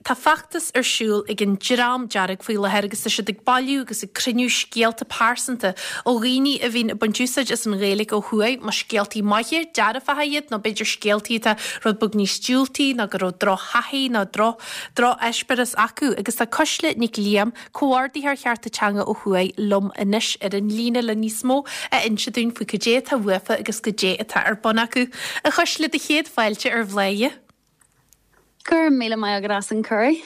Tá feachtas ar siúl ag an Dream Dearg faoi láthair agus tá siad ag bailiú agus ag cruinniú scéalta pearsanta ó dhaoine a bhíonn ag baint úsáid as an Ghaeilge ó thuaidh, más scéaltaí maithe, dearfacha iad nó b'fhéidir scéaltaí atá rud beag níos diúltaí nó go raibh drochthaithí nó droch-eispéireas acu. Agus tá Cuisle Nic Liam, Comhordaitheoir Chearta Teanga ó thuaidh, liom anois ar an líne le níos mó a inse dúinn faoi cad é atá uafa agus cad é atá ar bun acu. A Chuisle, do chéad fáilte ar Bhláth. Go raibh míle maith agat as an cuireadh.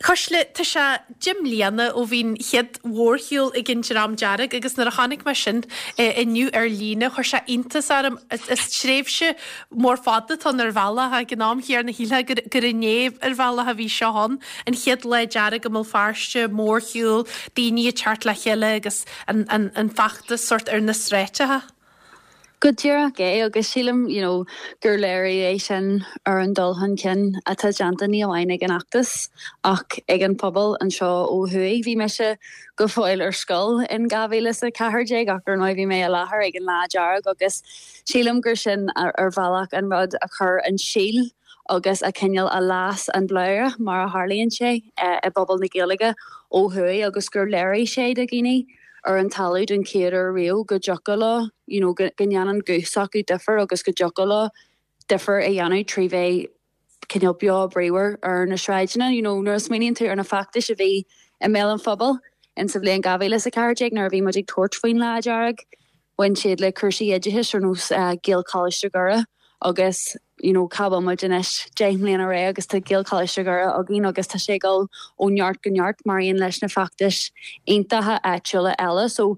Cuisle, tá sé 10 mbliana ó bhí an chéad mhórshiúl ag an Dream Dearg agus nuair a chonaic mé sin inniu ar líne chuir sé iontas orm. Is tréimhse mór fada atá ann ar bhealach ag an am chéanna shílfeá gur inné ar bhealach a bhí seo ann, an chéad Lá Dearg i mBéal Feirste, mórshiúl, daoine ag teacht le chéile agus an feachtas sórt ar na sráideacha. Go díreach é, agus sílim you know gur léiriú é sin ar an dul chun cinn atá déanta ní amháin ag an fheachtas ach ag an phobal anseo ó thuaidh. Bhí mise go fóill ar scoil in 2014 ach ar ndóigh bhí mé i láthair ag an Lá Dearg agus sílim gur sin ar bhealach an rud a chuir an síol agus a cineál a las an bladhaire mar a tharlaíonn sé i bpobal na Gaeilge ó thuaidh agus gur léirigh sé do dhaoine ar an talamh den chéad uair riamh go dtiocfadh leo, you know, go ndéanann guth s'acu difear agus go dtiocfadh leo difear a dhéanamh trí bheith cineál beo bríomhar ar na sráideanna. You know, nuair a smaoiníonn tú ar na feachtais a bhí i mbéal an phobail in sa bhliain 2014 nuair a bhí muid ag tabhairt faoin Lá Dearg, Bhain siad le cúrsaí oideachais ar nós Gaelcholáiste Dhoire agus you know cá bhfuil muid anois 10 mbliana ar aghaidh agus tá Gaelcholáiste Dhoire againn agus tá sé ag dul ó neart go neart mar aon leis na feachtais iontacha áitiúla eile. So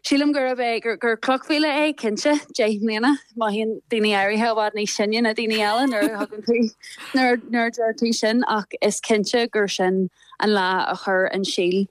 sílim gurb é gur gur cloch mhíle é cinnte 10 mbliana. Mothaíonn daoine áirithe i bhfad níos sine ná daoine eile nuair a thugann tú nuair nuair a deir tú sin ach is cinnte gur sin an lá a chuir an síol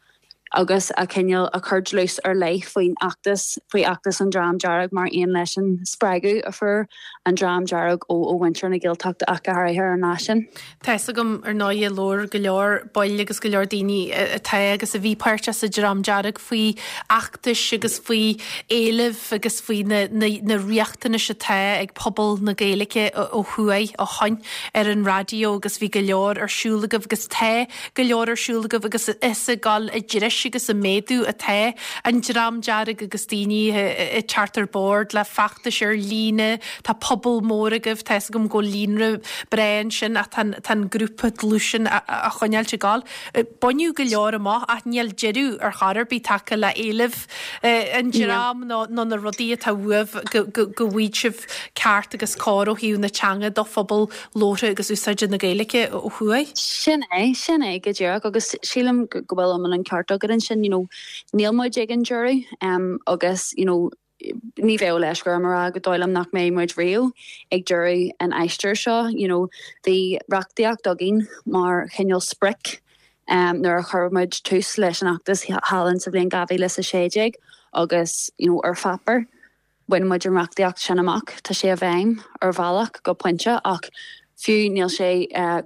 agus a cineál a chuir dlús ar leith faoin fheachtas, faoi fheachtas an Dream Dearg mar aon leis an spreagadh a fuair an Dream Dearg ó ó mhuintir na Gaeltachta ach go háirithe ar an lá sin. Tá fhios agam, ar ndóighe, labhair go leor baill agus go leor daoine atá agus a bhí páirteach sa Dream Dearg faoi fheachtais agus faoi éilimh agus faoi na na riachtanais atá ag pobal na Gaeilge ó thuaidh ó shoin ar an raidió agus bhí go leor ar siúl agaibh agus tá go leor ar siúl agaibh agus is ag dul i dtreis agus ag méadú atá an Dream Dearg agus daoine ag teacht ar bord le feachtais ar líne. Tá pobal mór agaibh, tá fhios agam go bhfuil líonra breá ansin ach tá an grúpa dlúth sin á choinneáilt ag dul. Baineadh go leor amach ach níl deireadh ar chor ar bith tagtha le éilimh an dream nó na rudaí atá uaibh go bhfaighidh sibh ceart agus cóir ó thaobh na teanga do phobal labhartha agus úsáide na Gaeilge ó thuaidh. Sin é, sin é go díreach agus sílim go bhfuil iomlán an ceart agat ansin, you know, níl muid ag an deireadh agus, you know, ní bheadh leisce orm a rá gur dóigh liom nach mbeidh muid riamh ag deireadh an aistir seo, you know, bhí reachtaíocht againn mar chineál sprioc nuair a chuir muid tús leis an fheachtas thall in sa bhliain 2016 agus, you know, ar pháipéar, Bhain muid an reachtaíocht sin amach. Tá sé i bhfeidhm, ar bhealach, go pointe, ach fiú níl sé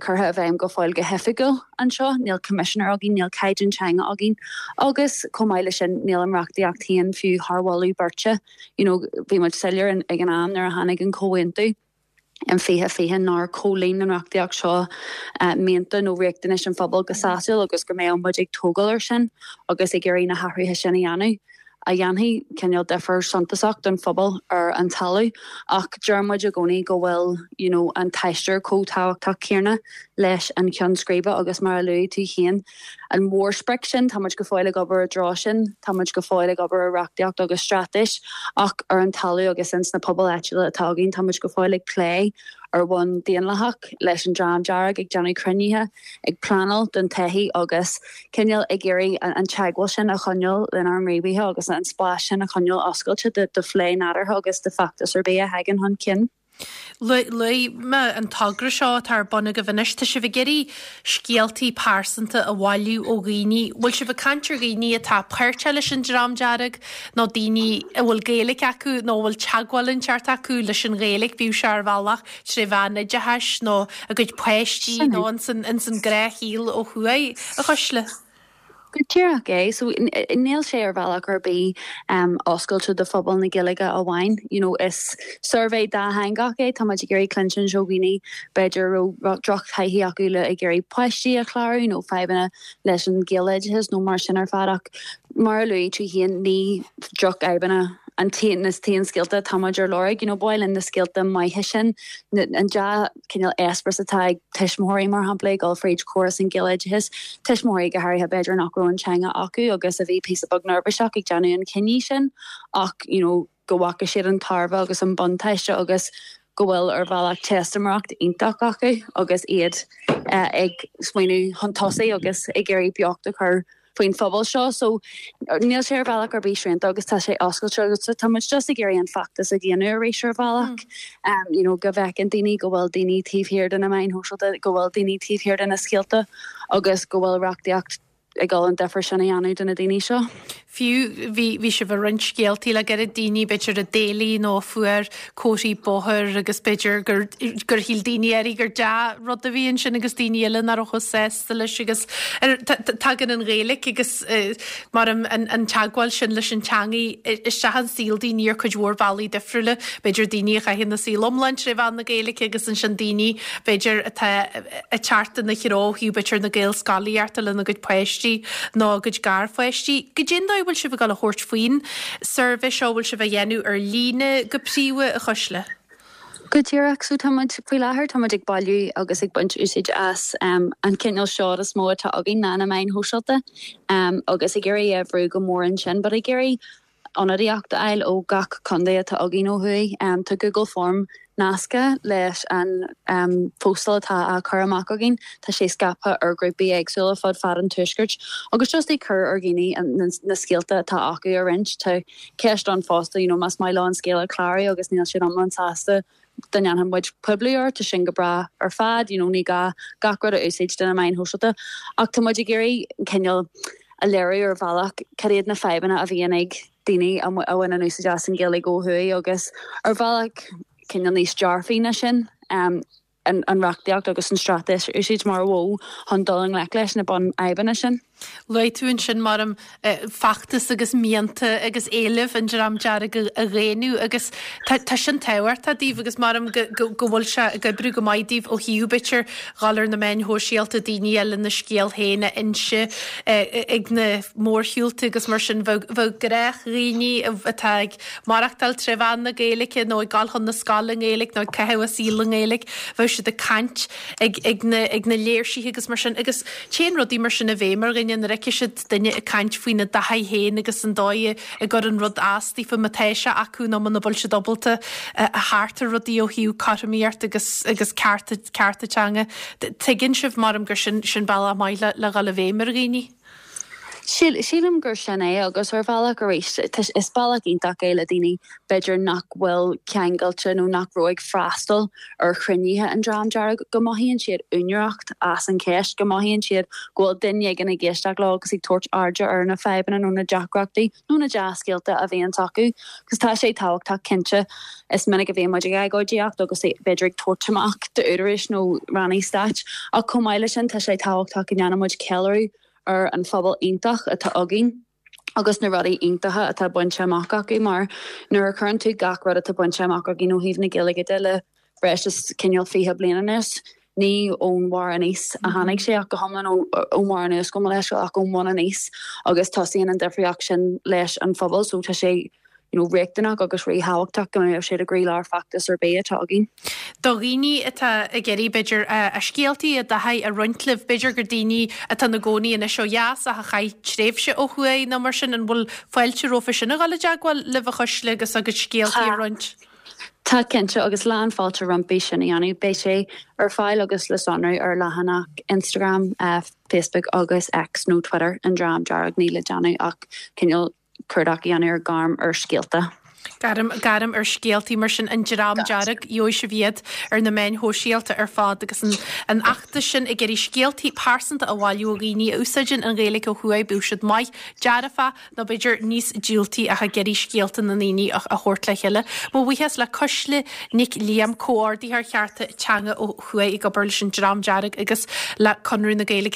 curtha i bhfeidhm go fóill go hoifigiúil anseo. Níl coimisinéir againn, níl caighdeán teanga againn agus chomh maith leis sin níl an reachtaíocht féin fiú thar mholadh beirte. You know, bhí muid soiléir ag an am nuair a tháinig an comhaontú. in 2020 nár chomhlíon an reachtaíocht seo mianta nó riachtanais an phobail go sásúil agus go mbeadh muid ag tógáil air sin agus ag iarraidh na hathruithe sin a dhéanamh a dhéanfaidh cineál difear suntasach don phobal ar an talamh. Ach deir muid i gcónaí go bhfuil you know an t-aistear chomh tábhachtach céanna leis an cheann scríbe agus mar a luaigh tú féin, an mhórsprioc sin, tá muid go fóill ag obair i dtreo sin, tá muid go fóill ag obair ar reachtaíocht agus straitéis ach ar an talamh agus ins na pobail áitiúla atá againn, tá muid go fóill ag plé ar bhonn daonlathach leis an Dream Dearg, ag déanamh cruinnithe, ag pleanáil don todhchaí agus cineál ag iarraidh an teagmháil sin a choinneáil lenár ngníomhaithe agus an spás sin a choinneáil oscailte do phlé nádúrtha agus do feachtas ar bith a thagann chun cinn. Luaigh mé an togra seo atá ar bun agaibh anois. Tá sibh ag iarraidh scéaltaí pearsanta a bhailiú ó dhaoine. Bhfuil sibh ag caint ar dhaoine atá páirteach leis an Dream Dearg nó daoine a bhfuil Gaeilge acu nó a bhfuil teagmháil inteacht acu leis an Ghaeilge, bíodh sé ar bhealach tré mheán oideachais nó a gcuid páistí nó ins an gnáthshaol ó thuaidh, a Chuisle? Go díreach é. So, níl sé ar bhealach ar bith oscailte do phobal na Gaeilge amháin. You know, is suirbhé dátheangach é. Tá muid ag iarraidh cluinstin ó dhaoine b'fhéidir a raibh drochthaithí acu le ag iarraidh páistí a chlárú nó fadhbanna leis an Ghaeloideachas nó mar sin ar fad ach mar a luaigh tú féin ní drochfhadhbanna an t-aon na t-aon scéalta atá muid ar lorg. You know, ba mhaith linn na scéalta maithe sin, an dea cineál eispéireas atá ag tuismitheoirí, mar shampla, ag dul fríd chóras an Ghaeloideachais, tuismitheoirí go háirithe b'fhéidir nach raibh an teanga acu agus a bhí píosa beag neirbhíseach ag déanamh an chinnidh sin ach you know go bhfaca siad an tairbhe agus an buntáiste agus go bhfuil ar bhealach teistiméireacht iontach acu agus iad ag smaoineamh chun tosaigh agus ag iarraidh beocht a chur faoin phobal seo. So níl sé ar bhealach ar bith srianta agus tá sé oscailte agus tá muid just ag iarraidh an feachtas a dhéanamh arís ar bhealach. You know go bhfeiceann daoine go bhfuil daoine taobh thiar de na meáin shóisialta, go bhfuil daoine taobh thiar de na scéalta agus go bhfuil reachtaíocht ag dul an difear sin a dhéanamh do na daoine seo. Fiú bhí bhí sibh ag roinnt scéaltaí le gairid, daoine b'fhéidir a d'éiligh nó a fuair comharthaí bóthair agus b'fhéidir gur gur shíl daoine áirithe gur dea-rud a bhí ansin agus daoine eile nach raibh chomh sásta leis agus tagann an Ghaeilge agus mar an an teagmháil sin leis an teangaidh isteach in saol daoine ar cuid mhór bealaí difriúla. B'fhéidir daoine a chaitheann a saol iomlán tré mheán na Gaeilge agus ansin daoine b'fhéidir atá ag teacht ina threo ó thaobh b'fhéidir na Gaelscolaíochta lena gcuid páistí nó a gcuid garpháistí. Goidé an dóigh a bhfuil sibh ag dul a thabhairt faoin suirbhé seo, bhfuil sibh á dhéanamh ar líne go príomha, a Chuisle? Go díreach. So tá muid, faoi láthair, tá muid ag bailiú agus ag baint úsáid as an cineál seod is mó atá againn ná na meáin shóisialta agus ag iarraidh é a bhrú go mór ansin but ag iarraidh ionadaíocht a fháil ó gach contae atá againn ó thuaidh. Tá Google Form nasctha leis an phóstáil atá á cur amach againn. Tá sé scaipthe ar ghrúpaí éagsúla fud fad an Tuaiscirt agus just ag cur ar dhaoine na scéalta atá acu a roinnt. Tá ceist ann fosta, you know, más maith leo an scéal a chlárú agus níl siad iomlán sásta dá ndéanfadh muid poibliú air, tá sin go breá ar fad, you know, ní gá gach rud a úsáid do na meáin shóisialta. Ach tá muid ag iarraidh cineál a léiriú ar bhealach cad iad na fadhbanna a bhíonn ag daoine a bhaineann úsáid as an Ghaeilge ó thuaidh agus ar bhealach cineál níos dearfaí ná sin. an reachtaíocht agus an straitéis a úsáid mar mhodh chun dul i ngleic leis na bunfhadhbanna sin. Luaigh tú ansin, maram, feachtas agus mianta agus éilimh an Dream Dearg a dhaonnú agus tá sin tábhachtach daoibh agus maram go bhfuil sé ag oibriú go maith daoibh ó thaobh, b'fhéidir, dhul ar na meáin shóisialta, daoine eile na scéal féin a inse ag na mórshiúlta agus mar sin. Bheadh gnáthdhaoine atá ag maireachtáil tré mheán na Gaeilge nó ag dul chun na scoile i nGaeilge nó ag caitheamh a saoil i nGaeilge, bheadh siad ag caint ag ag na ag na léirsithe agus mar sin agus téann rudaí mar sin i bhfeidhm ar dhuine nuair a fheiceann siad duine ag caint faoina dtaithí féin agus an dóigh a gcuireann rud as daofa má tá sé acu nó muna bhfuil siad ábalta a theacht ar rudaí ó thaobh cothromaíocht agus agus cearta cearta teanga. Tuigeann sibh, maram, gur sin sin bealach maith le le dhul i bhfeidhm ar dhaoine. Sílim gur sin é agus ar bhealach arís is bealach iontach é le daoine b'fhéidir nach bhfuil ceangailte nó nach raibh ag freastal ar chruinnithe an Dream Dearg, go mothaíonn siad úinéireacht as an cheist, go mothaíonn siad go bhfuil duine éigin ag éisteacht leo agus ag tabhairt airde ar na fadhbanna nó na deacrachtaí nó na dea-scéalta a bhíonns acu. Agus tá sé tábhachtach cinnte, is minic a bhíonn muid ag agóidíocht agus b'fhéidir ag tabhairt amach d'údaráis nó rannaí stáit ach chomh maith leis sin tá sé tábhachtach go ndéanann muid ceiliúradh ar an phobal iontach atá againn agus na rudaí iontacha atá bainte amach acu mar nuair a chuireann tú gach rud atá bainte amach againn ó thaobh na Gaeilge de le breis is cineál 20 bliain anuas, ní ón bharr aníos a tháinig sé ach go hiomlán ón bharr anuas gabh mo leithscéal ach ón mbun aníos agus tosaíonn an difríocht sin leis an phobal so tá sé you know, riachtanach agus ríthábhachtach go mbeadh siad i gcroílár feachtas ar bith atá againn. Do dhaoine atá ag iarraidh, b'fhéidir, a scéaltaí, a dtaithí a roinnt libh, b'fhéidir gur daoine atá ina gcónaí anois ó dheas ach a chaith tréimhse ó thuaidh nó mar sin, an bhfuil fáilte rompu sin a dhul i dteagmháil libh a Chuisle agus a gcuid scéaltaí a roinnt? Tá, cinnte, agus lán fáilte rompu sin a dhéanamh. Beidh sé ar fáil agus le sonrú ar leathanach Instagram, Facebook agus X nó Twitter an Dream Dearg, níl le déanamh ach cineál cuardach a dhéanamh ar Gairm ar Scéalta. Gairm, Gairm ar Scéaltaí, mar sin, an Dream Dearg, gheobhaidh sibh iad ar na meáin shóisialta ar fad agus an, an fheachtas sin ag iarraidh scéaltaí pearsanta a bhailiú ó dhaoine a úsáideann an Ghaeilge ó thuaidh, bíodh siad maith, dearfach nó b'fhéidir níos diúltaí ach ag iarraidh scéalta na ndaoine a, a thabhairt le chéile. Mo bhuíochas le Cuisle Nic Liam, Comhordaitheoir Chearta Teanga ó thuaidh ag obair leis an Dream Dearg agus le Conradh na Gaeilge.